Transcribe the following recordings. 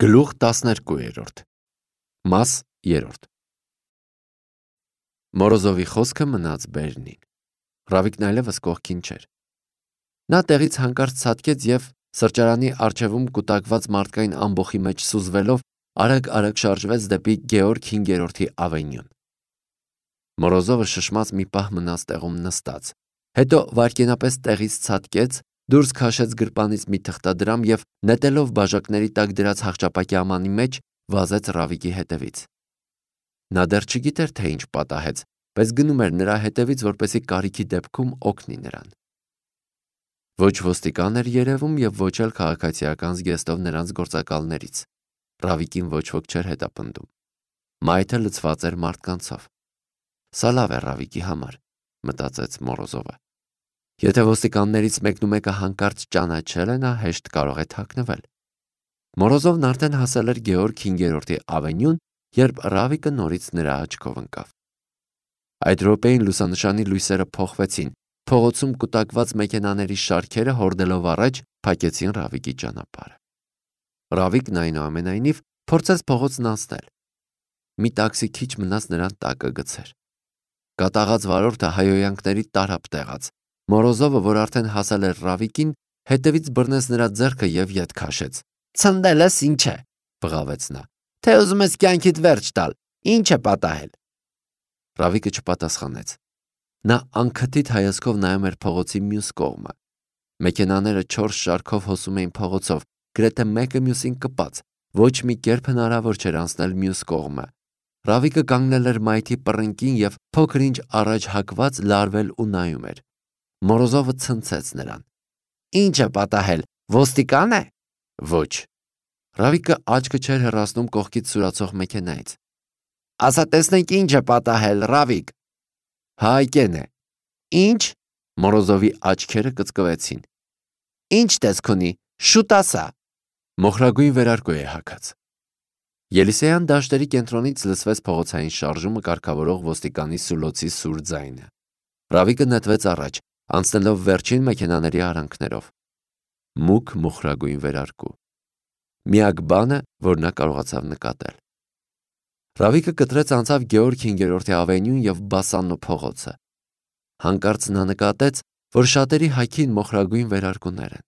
Գլուխ 12 Մաս 3 Մորոզովի խոսքը մնաց բերնին։ Ռավիկն այլևս կողքին չէր։ Նա տեղից հանկարծ ցատկեց և սրճարանի առջևում կուտակված մարդկային ամբոխի մեջ սուզվելով արագ շարժվեց դեպի Գեորգ 5-րդի ավենյուն։ Մորոզովը շշմած մի պահ մնաց տեղում նստած, հետո վայրկենապես տեղից ցատկեց, դուրս քաշեց գրպանից մի թղթադրամ և նետելով բաժակների տակ դրած հաղճապակի ամանի մեջ վազեց Ռավիկի հետևից։ Նա դեռ չգիտեր, թե ինչ պատահեց, բայց գնում էր նրա հետևից, որպեսզի կարիքի դեպքում օգնի նրան։ Ոչ ոստիկան էր երևում և ոչ էլ քաղաքացիական զգեստով նրանց գործակալներից։ Ռավիկին ոչ ոք չէր հետապնդում։ Մայթը լցված էր մարդկանցով։ Սա լավ է Ռավիկի համար, մտածեց Մորոզովը։ Եթե ոստիկաններից մեկը հանկարծ ճանաչել է, նա հեշտ կարող է թաքնվել։ Մորոզովն արդեն հասել էր Գեորգ 5-րդի ավենյուն, երբ Ռավիկը նորից նրա աչքով ընկավ։ Այդ րոպեին լուսանշանի լույսերը փոխվեցին, փողոցում կուտակված մեքենաների շարքերը հորդելով առաջ փակեցին Ռավիկի ճանապարհը։ Ռավիկն այնուամենայնիվ փորձեց փողոցն անցնել։ Մի տաքսի քիչ մնաց նրան տակը գցեր։ Կատաղած վարորդը հայհոյանքների տարափ տեղաց։ Մորոզովը, որ արդեն հասել էր Ռավիկին, հետևից բռնեց նրա ձեռքը և ետ քաշեց։ «Ցնդել ես, ինչ է», բղավեց նա, «թե ուզում ես կյանքիդ վերջ տալ, ինչ է պատահել»։ Ռավիկը չպատասխանեց։ Նա անքթիթ հայացքով նայում էր փողոցի մյուս կողմը։ Մեքենաները 4 շարքով հոսում էին փողոցով, գրեթե մեկը մյուսին կպած, ոչ մի կերպ հնարավոր չէր անցնել մյուս կողմը։ Ռավիկը կանգնել էր մայթի պռնկին և փոքր-ինչ առաջ հակված լարվել ու նայում էր։ Մորոզովը ցնցեց նրան։ «Ինչ է պատահել, ոստիկան է»։ «Ոչ»։ Ռավիկը աչքը չէր հեռացնում կողքից սուրացող մեքենայից։ «Ասա տեսնենք ինչ է պատահել, Ռավիկ»։ «Հայկեն է»։ «Ինչ»։ Մորոզովի աչքերը կծկվեցին։ «Ինչ տեսք ունի, շուտ ասա»։ Մոխրագույն վերարկու է հագած։ Ելիսեյան դաշտերի կենտրոնից լսվեց փողոցային շարժումը կարգավորող ոստիկանի սուլոցի սուր ձայնը։ Ռավիկը նետվեց առաջ, անցնելով վերջին մեքենաների արանքներով։ Մուգ մոխրագույն վերարկու։ Միակ բանը, որ նա կարողացավ նկատել։ Ռավիկը կտրեց անցավ Գեորգ 5-րդի ավենյուն և Բասաննո փողոցը։ Հանկարծ նա նկատեց, որ շատերի հագին մոխրագույն վերարկուներ են։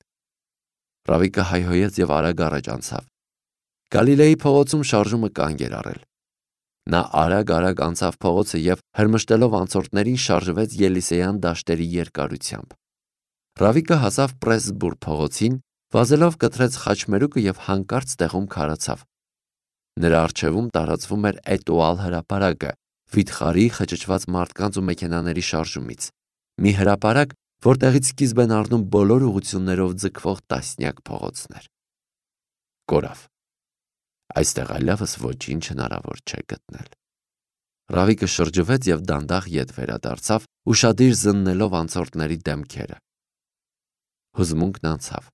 Ռավիկը հայհոյեց և արագ առաջ անցավ։ Գալիլեի փողոցում շարժումը կանգ էր առել։ Նա արագ անցավ փողոցը և հրմշտելով անցորդներին շարժվեց Ելիսեյան դաշտերի երկարությամբ։ Ռավիկը հասավ Պրեսբուր փողոցին, վազելով կտրեց խաչմերուկը և հանկարծ տեղում քարացավ։ Նրա առջևում տարածվում էր Էտուալ հրապարակը, վիթխարի խճճված մարդկանց ու մեքենաների շարժումից։ Մի հրապարակ, որտեղից սկիզբ են առնում բոլոր ուղղություններով ձգվող տասնյակ փողոցներ։ Կորավ։ Այստեղ այլևս ոչինչ հնարավոր չէ գտնել։ Ռավիկը շրջվեց և դանդաղ ետ վերադարձավ, ուշադիր զննելով անցորդների դեմքերը։ Հուզմունքն անցավ։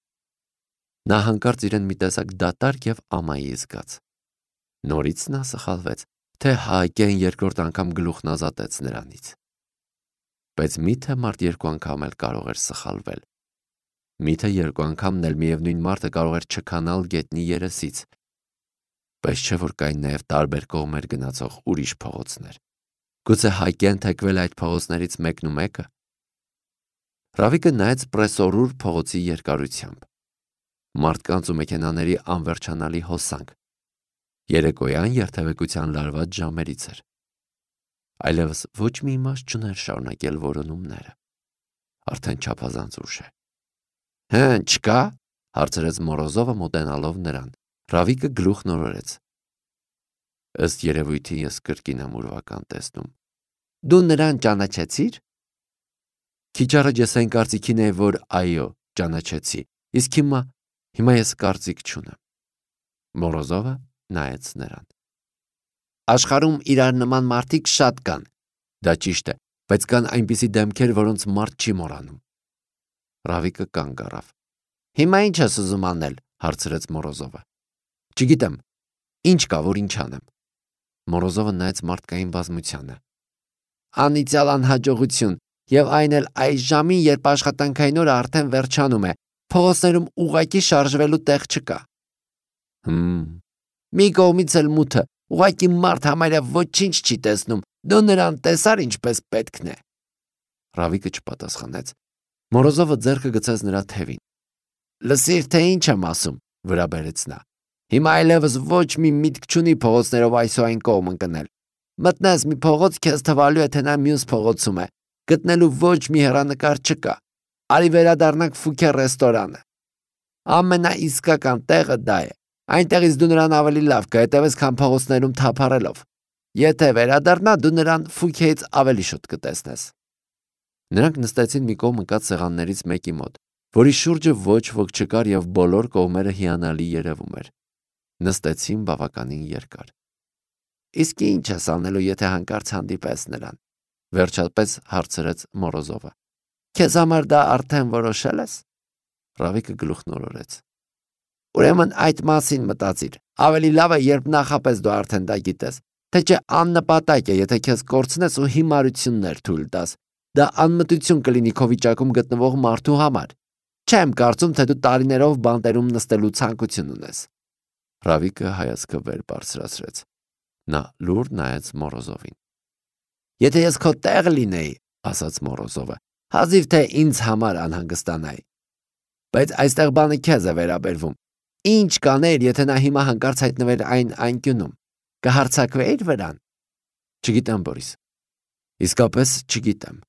Նա հանկարծ իրեն մի տեսակ դատարկ և ամայի զգաց։ Նորից նա սխալվեց, թե Հայկեն երկրորդ անգամ գլուխն ազատեց նրանից։ Բայց միթե մարդ երկու անգամ էլ կարող էր սխալվել։ Միթե երկու անգամն էլ միևնույն մարդը կարող էր չքանալ գետնի երեսից։ Բայց չէ՞ որ կային նաև տարբեր կողմեր գնացող ուրիշ փողոցներ։ Գուցե Հայկեն թեքվել այդ փողոցներից մեկը։ Ռավիկը նայեց Պրեսորուր փողոցի երկարությամբ։ Մարդկանց ու մեքենաների անվերջանալի հոսանք։ Երեկոյան երթևեկության լարված ժամերից էր։ Այլևս ոչ մի իմաստ չուներ շարունակել որոնումները։ Արդեն չափազանց ուշ է։ «Հը, չկա՞», հարցրեց Մորոզովը մոտենալով նրան։ Ռավիկը գլուխ նորորեց։ «Ըստ երևույթին ես կրկին եմ ուրվական տեսնում»։ «Դու նրան ճանաչեցի՞ր»։ Քիչ առաջ ես այն կարծիքին էի, որ այո, ճանաչեցի, իսկ հիմա ես կարծիք չունեմ։ Մորոզովը նայեց նրան։ «Աշխարհում իրար նման մարդիկ շատ կան»։ «Դա ճիշտ է, բայց կան այնպիսի դեմքեր, որոնց մարդ չի մոռանում»։ Ռավիկը կանգ առավ։ «Հիմա ինչ ես ուզում անել»։ հարցրեց Մորոզովը։ «Չգիտեմ, ինչ կա, որ ինչ անեմ»։ Մորոզովը նայեց մարդկային բազմությանը։ «Անիծյալ անհաջողություն, և այն էլ այս ժամին, երբ աշխատանքային օրը արդեն վերջանում է, փողոցներում ուղղակի շարժվելու տեղ չկա»։ Մի կողմից էլ մութը, ուղղակի մարդ համարյա ոչինչ չի տեսնում, դու նրան տեսար ինչպես պետքն է։ Ռավիկը չպատասխանեց։ Մորոզովը ձեռքը գցեց նրա թևին։ Լսիր, թե ինչ եմ ասում, վրա բերեց նա։ Հիմա այլևս ոչ մի միտք չունի փողոցներով այս ու այն կողմ ընկնել։ Մտնես մի փողոց, քեզ թվալու է, թե նա մյուս փողոցում է։ Գտնելու ոչ մի հեռանկար չկա։ Արի վերադառնանք Ֆուքե ռեստորանը։ Ամենաիսկական տեղը դա է։ Այնտեղից դու նրան ավելի լավ կհետևես, քան փողոցներում թափառելով։ Եթե վերադառնա, դու նրան Ֆուքեից ավելի շուտ կտեսնես։ Նրանք նստեցին մի կողմ ընկած սեղաններից մեկի մոտ, որի շուրջը ոչ ոք չկար եւ բոլոր կողմերը հիանալի երևում էր։ Նստեցին բավականին երկար։ Իսկ ինչ ես անելու, եթե հանկարծ հանդիպես նրան, վերջապես հարցրեց Մորոզովը։ Քեզ համար դա արդեն որոշել ես։ Ռավիկը գլուխն օրորեց։ Ուրեմն այդ մասին մտածիր։ Ավելի լավ է, երբ նախապես դու արդեն դա գիտես, թե չէ աննպատակ է, եթե քեզ կորցնես ու հիմարություններ թույլ տաս։ Դա անմտություն կլինի քո վիճակում գտնվող մարդու համար։ Չեմ կարծում, թե դու տարիներով բանտերում նստելու ցանկություն ունես։ Ռավիկը հայացքը վեր բարձրացրեց։ Նա լուր նայեց Մորոզովին։ Եթե ես քո տեղ լինեի, ասաց Մորոզովը, հազիվ թե ինձ համար անհանգստանայի։ Բայց այստեղ բանը քեզ է վերաբերվում։ Ինչ կանեիր, եթե նա հիմա հանկարծ հայտնվեր այն անկյունում։ Կհարցակվեիր վրան։ Չգիտեմ, Բորիս։ Իսկապես չգիտեմ։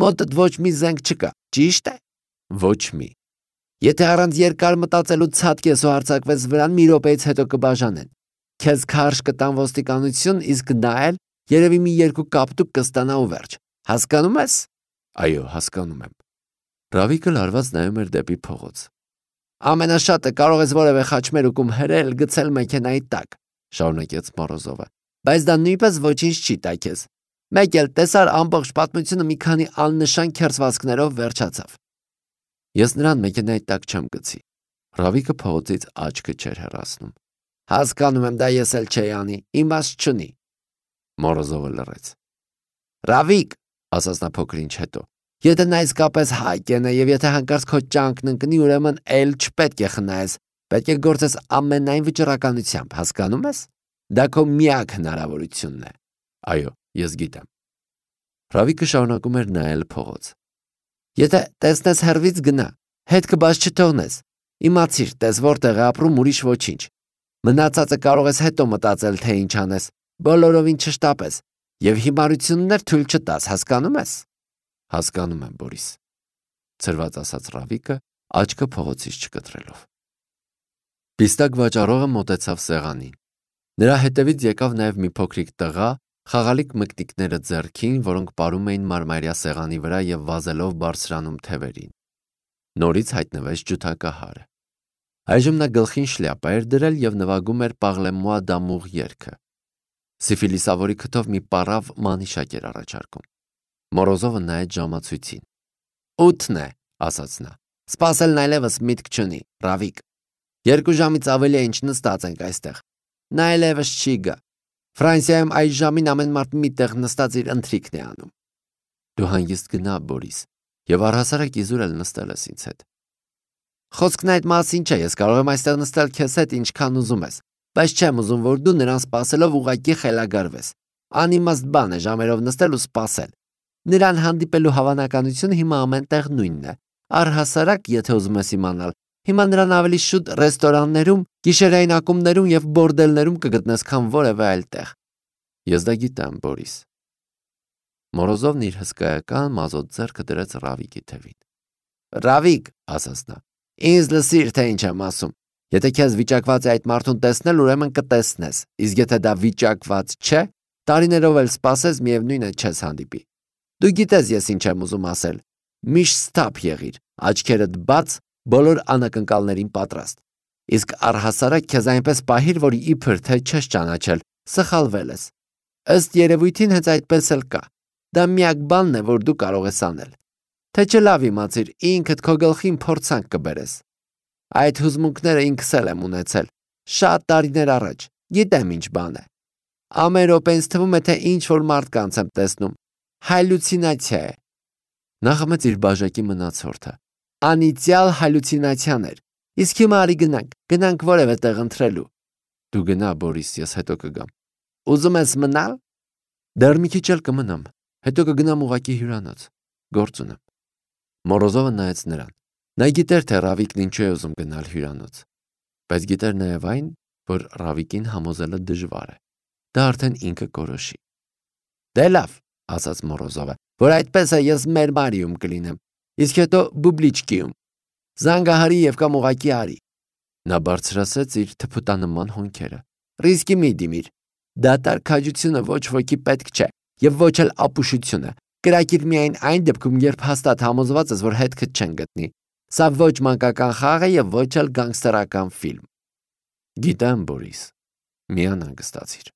Մոտդ ոչ մի զենք չկա, ճիշտ է։ Ոչ մի։ Եթե առանց երկար մտածելու ցածկես ու հարցակվես վրան, մի րոպեից հետո կբաժանեն։ Քեզ քարշ կտան ոստիկանություն, իսկ նա էլ երևի մի երկու կապտուկ կստանա ու վերջ։ Հասկանում ես։ Այո, հասկանում եմ։ Ռավիկը լարված նայում էր դեպի փողոց։ Ամենաշատը կարող ես որևէ խաչմերուկում հրել, գցել մեքենայի տակ, շարունակեց Մորոզովը, բայց դա նույնպես ոչինչ չի տա քեզ։ Մեկ էլ տեսար ամբողջ պատմությունը մի քանի աննշան քերծվածքներով վերջացավ։ Ես նրան մեքենայի տակ չեմ գցի։ Ռավիկը փողոցից աչքը չէր հեռացնում։ Հասկանում եմ, դա ես էլ չէի անի, իմաստ չունի։ Մորոզովը լռեց։ Ռավիկ, ասաց նա փոքր ինչ հետո, եթե նա իսկապես հայկեն է եւ եթե հանկարծ քո ճանկն ընկնի, ուրեմն էլ չպետք է խնայես, պետք է գործես ամենայն վճռականությամբ, հասկանում ես։ Դա քո միակ հնարավորությունն է։ Այո, ես գիտեմ։ Ռավիկը շարունակում էր նայել փողոց։ Եթե տեսնես հեռվից գնա, հետ կբաց չթողնես։ Իմացիր, տես որտեղ է ապրում, ուրիշ ոչինչ։ Մնացածը կարող ես հետո մտածել, թե ինչ անես, բոլորովին չշտապես եւ հիմարություններ թույլ չտաս, հասկանում ես։ Հասկանում եմ, Բորիս, ցրված ասաց Ռավիկը, աչքը փողոցից չկտրելով։ Պիստակ վաճառողը մոտեցավ սեղանին։ Նրա հետևից եկավ նաև մի փոքրիկ տղա, խաղալիք մկնիկները ձեռքին, որոնք պարում էին մարմարյա սեղանի վրա եւ վազելով բարձրանում թևերին։ Նորից հայտնվեց ջութակահարը։ Այժմ նա գլխին շլյապա էր դրել եւ նվագում էր Պաղլեմուա դամուղ երգը։ Սիֆիլիսավորի քթով մի պարավ մանիշակ էր առաջարկում։ Մորոզովը նայեց ժամացույցին։ 8-ն է, ասաց նա։ Սպասելն այլևս միտք չունի, Ռավիկ։ 2 ժամից ավելի է ինչ նստած ենք այստեղ։ Նա այլևս չի գա։ Ֆրանսիայում այս ժամին ամեն մարդ մի տեղ նստած իր ընթրիքն է անում։ Դու հանգիստ գնա, Բորիս, եւ առհասարակ իզուր էլ նստել ես ինձ հետ։ Խոսքն այդ մասին չէ, ես կարող եմ այստեղ նստել քեզ հետ ինչքան ուզում ես, բայց չեմ ուզում, որ դու նրան սպասելով ուղղակի խելագարվես։ Անիմաստ բան է ժամերով նստել ու սպասել։ Նրան հանդիպելու հավանականությունը հիմա ամենտեղ նույնն է։ Առհասարակ, եթե ուզում ես իմանալ, հիմա նրան ավելի շուտ ռեստորաններում, գիշերային ակումբներում եւ բորդելներում կգտնես, քան որևէ այլ տեղ։ Ես դա գիտեմ, Բորիս։ Մորոզովն իր հսկայական մազոտ ձեռքը դրեց Ռավիկի թևին։ Ռավիկ, ասաց նա, ինձ լսիր, թե ինչ եմ ասում։ Եթե քեզ վիճակված է այդ մարդուն տեսնել, ուրեմն կտեսնես, իսկ եթե դա վիճակված չէ, տարիներով էլ սպասես, միևնույն է չես հանդիպի։ Դու գիտես ես ինչ եմ ուզում ասել։ Միշտ ստապ եղիր, աչքերդ բաց, բոլոր անակնկալներին պատրաստ։ Իսկ առհասարակ քեզ այնպես պահիր, որ իբր թե չես ճանաչել, սխալվել ես։ Ըստ երևույթին հենց այդպես էլ կա։ Դա միակ բանն է, որ դու կարող ես անել։ Թե չէ լավ իմացիր, ինքդ քո գլխին փորձանք կբերես։ Այդ հուզմունքները ինքս էլ եմ ունեցել, շատ տարիներ առաջ, գիտեմ ինչ բան է։ Ամեն րոպե ինձ թվում է, թե ինչ որ մարդկանց եմ տեսնում։ Հալյուցինացիա է։ Նա խմեց իր բաժակի մնացորդը։ Անիծյալ հալյուցինացիաներ։ Իսկ հիմա արի գնանք որևէ տեղ ընթրելու։ Դու գնա, Բորիս, ես հետո կգամ։ Ուզում ես մնալ։ Դեռ մի քիչ էլ կմնամ, հետո կգնամ ուղակի հյուրանոց։ Գործ ունեմ։ Մորոզովը նայեց նրան։ Նա գիտեր, թե Ռավիկն ինչու է ուզում գնալ հյուրանոց, բայց գիտեր նաև այն, որ Ռավիկին համոզելը դժվար է։ Դա արդեն ինքը կորոշի։ Դե լավ, ասաց Մորոզովը, որ այդպես է ես մեր Մարիում կլինեմ, իսկ հետո բուբլիչկիում։ Զանգահարի եւ կամ ուղակի արի։ Նա բարձրացրեց իր թփուտանման հոնքերը։ Ռիսկի մի դիմիր։ Դատարկ քաջությունը ոչ ոքի պետք չէ եւ ոչ էլ ապուշությունը։ Կրակիր միայն այն դեպքում, երբ հաստատ համոզված ես, որ հետքդ չեն գտնի։ Սա ոչ մանկական խաղ է եւ ոչ էլ գանգստերական ֆիլմ։ Գիտեմ, Բորիս, մի անհանգստացիր։